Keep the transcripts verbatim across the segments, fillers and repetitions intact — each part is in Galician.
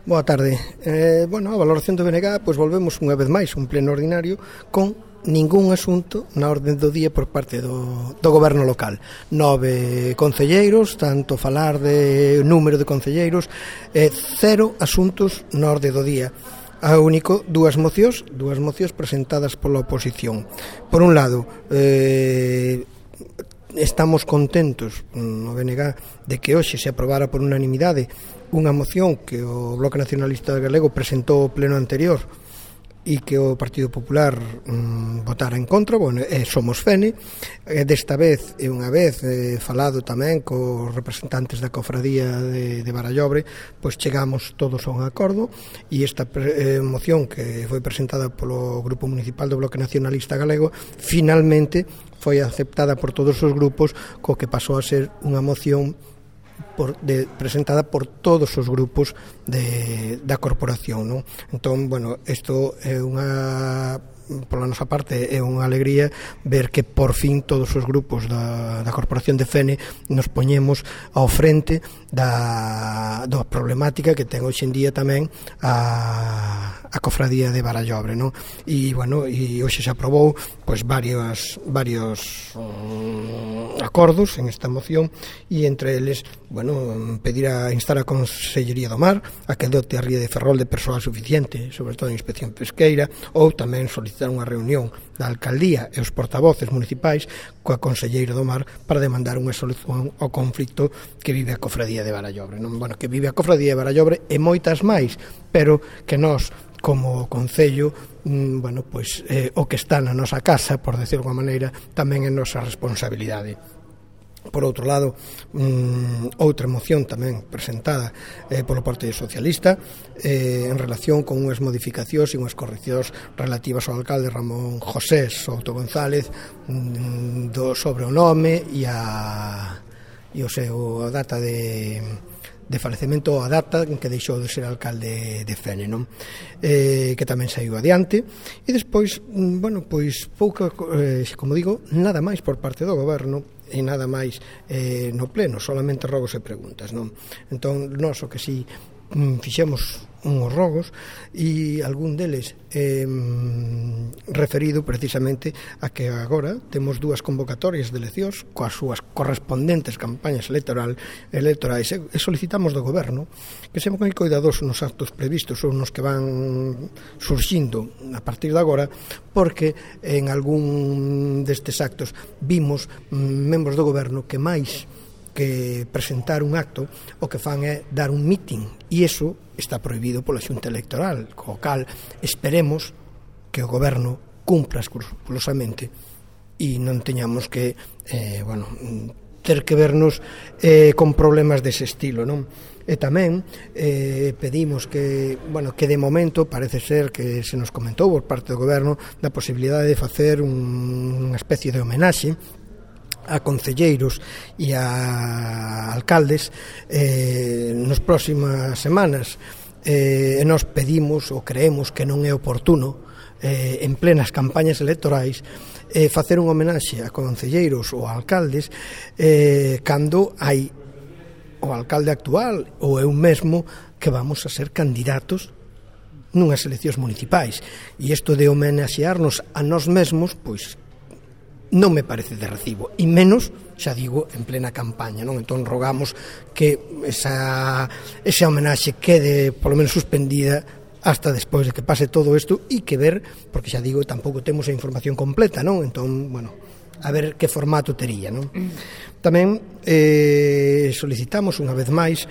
Boa tarde. Eh, bueno, a valoración do B N G, pois volvemos unha vez máis un pleno ordinario con ningún asunto na orde do día por parte do, do goberno local. Nove concelleiros, tanto falar de número de concelleiros, eh, cero asuntos na orde do día. A único, dúas mocións, dúas mocións presentadas pola oposición. Por un lado, eh, estamos contentos no B N G de que hoxe se aprobara por unanimidade unha moción que o Bloque Nacionalista Galego presentou ao pleno anterior e que o Partido Popular mm, votara en contra. Bueno, eh, somos F E N E, eh, desta vez e unha vez eh, falado tamén cos representantes da cofradía de, de Barallobre, pois chegamos todos a un acordo e esta eh, moción que foi presentada polo Grupo Municipal do Bloque Nacionalista Galego finalmente foi aceptada por todos os grupos, co que pasou a ser unha moción Por, de, presentada por todos os grupos de, da corporación, non? Entón, bueno, isto é unha, pola nosa parte, é unha alegría ver que por fin todos os grupos da, da corporación de F E N E nos poñemos ao frente da, da problemática que ten hoxe en día tamén a, a cofradía de Barallobre, non? E, bueno, e hoxe se aprobou pois varios, varios um, acordos en esta moción e entre eles, bueno, pedir a instar a Consellería do Mar a que dote a ría de Ferrol de persoal suficiente, sobre todo en inspección pesqueira, ou tamén solicitar unha reunión da alcaldía e os portavoces municipais coa Conselleira do Mar para demandar unha solución ao conflito que vive a cofradía de Barallobre, non? Bueno, que vive a cofradía de Barallobre e moitas máis, pero que nós como Concello, mm, bueno, pois eh, o que está na nosa casa, por decirlo de alguma maneira, tamén é nosa responsabilidade. Por outro lado, mm, outra moción tamén presentada eh, polo Partido Socialista eh, en relación con unhas modificacións e unhas correccións relativas ao alcalde Ramón José Souto González, mm, do sobre o nome e a, e o seu a data de... de falecemento a data en que deixou de ser alcalde de F E N E, non? Eh, que tamén saiu adiante e despois, bueno, pois pouca, eh, como digo, nada máis por parte do goberno e nada máis eh, no pleno, solamente rogos e preguntas, non? Entón, nós o que si fixemos unhos rogos e algún deles eh, referido precisamente a que agora temos dúas convocatorias de eleccións coas súas correspondentes campañas electoral, electorais e solicitamos do goberno que se moi coidadoso nos actos previstos ou nos que van surxindo a partir de agora, porque en algún destes actos vimos membros do goberno que máis que presentar un acto o que fan é dar un mitin e iso está prohibido pola Xunta Electoral, co cal esperemos que o goberno cumpra escrupulosamente e non teñamos que eh, bueno, ter que vernos eh, con problemas dese estilo, non? E tamén eh, pedimos que, bueno, que de momento parece ser que se nos comentou por parte do goberno da posibilidade de facer un, unha especie de homenaxe a concelleiros e a alcaldes eh, nas próximas semanas eh, e nos pedimos ou creemos que non é oportuno eh, en plenas campañas electorais eh, facer un homenaxe a concelleiros ou a alcaldes eh, cando hai o alcalde actual ou eu mesmo que vamos a ser candidatos nunhas eleccións municipais e isto de homenaxearnos a nós mesmos, pois non me parece de recibo, e menos, xa digo, en plena campaña, non? Entón rogamos que esa, esa homenaxe quede polo menos suspendida hasta despois de que pase todo isto e que ver, porque xa digo, tampouco temos a información completa, non? Entón, bueno, a ver que formato tería, non? Tamén eh, solicitamos unha vez máis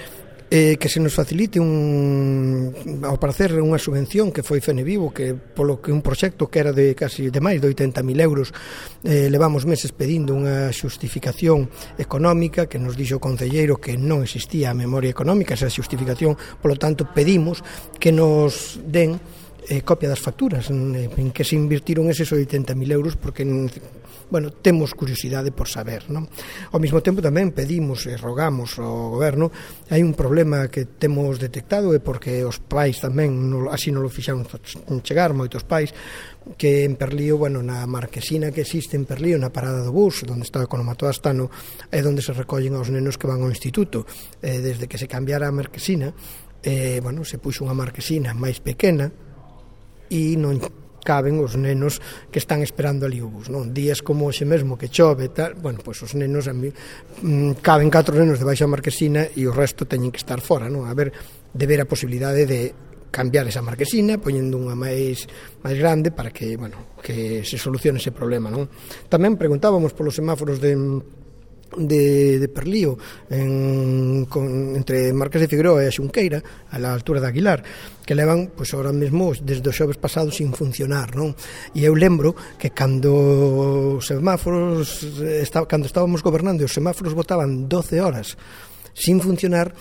eh, que se nos facilite un, ao parecer unha subvención que foi F E N E Vivo, que polo que un proxecto que era de casi de máis de oitenta mil euros eh, levamos meses pedindo unha xustificación económica que nos dixo o concelleiro que non existía a memoria económica esa xustificación, polo tanto pedimos que nos den eh, copia das facturas en, en que se invirtiron eses oitenta mil euros porque bueno, temos curiosidade por saber, non? Ao mesmo tempo tamén pedimos e rogamos ao goberno, hai un problema que temos detectado e porque os pais tamén así non lo fixaron chegar moitos pais, que en Perlío, bueno, na marquesina que existe en Perlío, na parada do bus onde está o Economato Astano, é onde se recollen aos nenos que van ao instituto. Eh, desde que se cambiara a marquesina eh, bueno, se puxo unha marquesina máis pequena e non caben os nenos que están esperando ali o bus, non? Días como hoxe mesmo que chove e tal, bueno, pois os nenos a mí, mm, caben catro nenos debaixo da marquesina e o resto teñen que estar fora, non? A ver, de ver a posibilidade de cambiar esa marquesina, poñendo unha máis máis grande para que, bueno, que se solucione ese problema, non? Tamén preguntábamos polos semáforos de de, de Perlío en, con, entre Marqués de Figueroa e a Xunqueira a la altura de Aguilar, que levan, pois ahora mesmo desde os xoves pasados sin funcionar, non? E eu lembro que cando os semáforos está, cando estábamos gobernando e os semáforos botaban doce horas sin funcionar,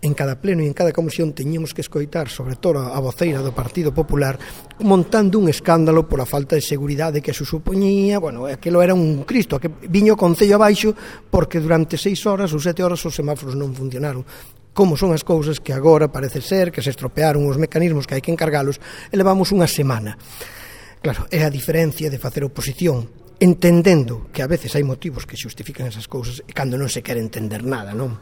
en cada pleno e en cada comisión teñíamos que escoitar, sobre todo a voceira do Partido Popular, montando un escándalo pola falta de seguridade que se supoñía. Bueno, aquilo era un cristo, que viño o Concello abaixo porque durante seis horas ou sete horas os semáforos non funcionaron. Como son as cousas que agora parece ser que se estropearon os mecanismos que hai que encargalos e levamos unha semana. Claro, é a diferencia de facer oposición entendendo que a veces hai motivos que xustifican esas cousas e cando non se quere entender nada, non?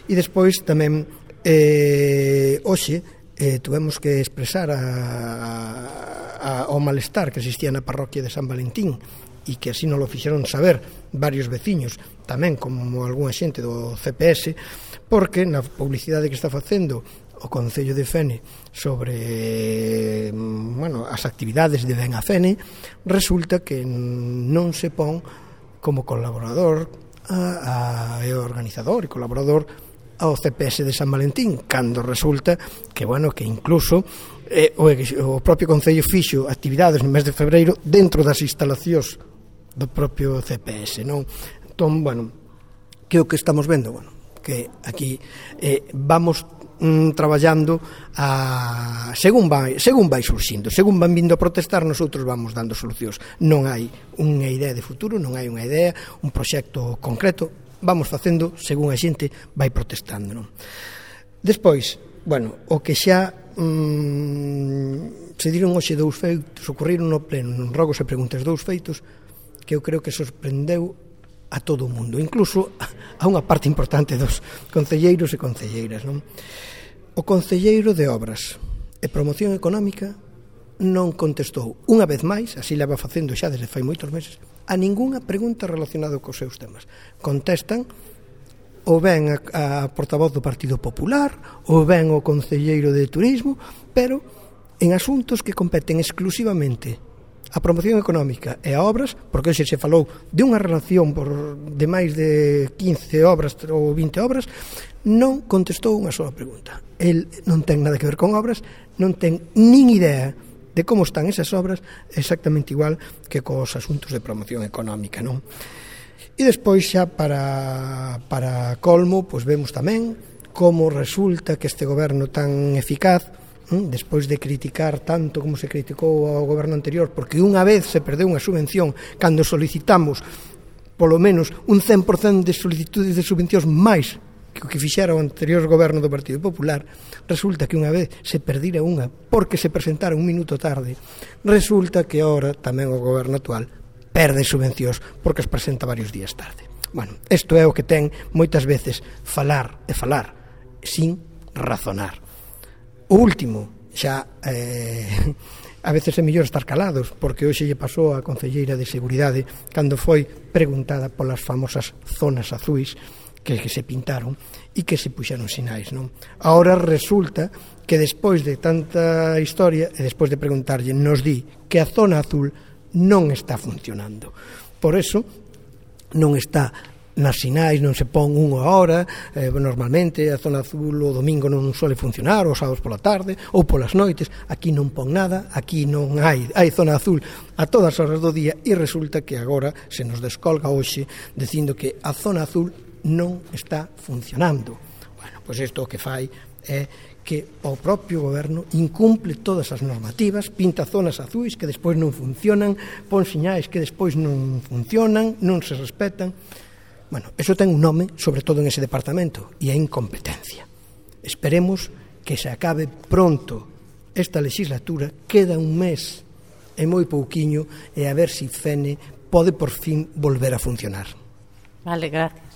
E despois tamén eh, hoxe eh, tuvemos que expresar a, a, o malestar que existía na parroquia de San Valentín e que así non lo fixeron saber varios veciños, tamén como algunha xente do C P S, porque na publicidade que está facendo o Concello de Fene sobre, bueno, as actividades de Ben a Fene, resulta que non se pon como colaborador a, a, e organizador e colaborador ao C P S de San Valentín, cando resulta que, bueno, que incluso eh, o, o propio Concello fixo actividades no mes de febreiro dentro das instalacións do propio C P S, non? Entón, bueno, que o que estamos vendo? Bueno, que aquí eh, vamos mm, traballando a, según vai, según vai surxindo, según van vindo a protestar, nosotros vamos dando solucións. Non hai unha idea de futuro, non hai unha idea, un proxecto concreto, vamos facendo según a xente vai protestando, non? Despois, bueno, o que xa mm, se diron hoxe dous feitos, ocorriron no pleno, non rogos e preguntas, dous feitos que eu creo que sorprendeu a todo o mundo, incluso a unha parte importante dos concelleiros e concelleiras, non? O concelleiro de Obras e Promoción Económica non contestou unha vez máis, así leva facendo xa desde fai moitos meses, a ningunha pregunta relacionada cos seus temas. Contestan ou ben a, a portavoz do Partido Popular ou ben o concelleiro de Turismo, pero en asuntos que competen exclusivamente a promoción económica e a obras, porque hoxe se falou de unha relación por de máis de quince obras ou vinte obras, non contestou unha sola pregunta. El non ten nada que ver con obras, non ten nin idea de como están esas obras, exactamente igual que cos asuntos de promoción económica, non? E despois xa para, para colmo, pois vemos tamén como resulta que este goberno tan eficaz, despois de criticar tanto como se criticou ao goberno anterior, porque unha vez se perdeu unha subvención cando solicitamos polo menos un cen por cento de solicitudes de subvencións máis que o que fixera o anterior goberno do Partido Popular, resulta que unha vez se perdira unha porque se presentara un minuto tarde, resulta que ahora tamén o goberno actual perde subvencións porque as presenta varios días tarde. Bueno, isto é o que ten moitas veces falar e falar sin razonar. O último, xa eh, a veces é mellor estar calados, porque hoxe lle pasou a concelleira de Seguridade cando foi preguntada polas famosas zonas azuis que, que se pintaron e que se puxeron sinais, non? Ahora resulta que despois de tanta historia e despois de preguntarlle, nos di que a zona azul non está funcionando. Por eso non está nas sinais, non se pon unha hora, eh, normalmente a zona azul o domingo non suele funcionar, os sábados pola tarde ou polas noites, aquí non pon nada, aquí non hai, hai zona azul a todas as horas do día e resulta que agora se nos descolga hoxe dicindo que a zona azul non está funcionando. Bueno, pois isto o que fai é que o propio goberno incumple todas as normativas, pinta zonas azuis que despois non funcionan, pon sinais que despois non funcionan, non se respetan. Bueno, eso ten un nome, sobre todo en ese departamento, e é incompetencia. Esperemos que se acabe pronto esta legislatura, queda un mes e moi pouquiño, e a ver se Fene pode por fin volver a funcionar. Vale, gracias.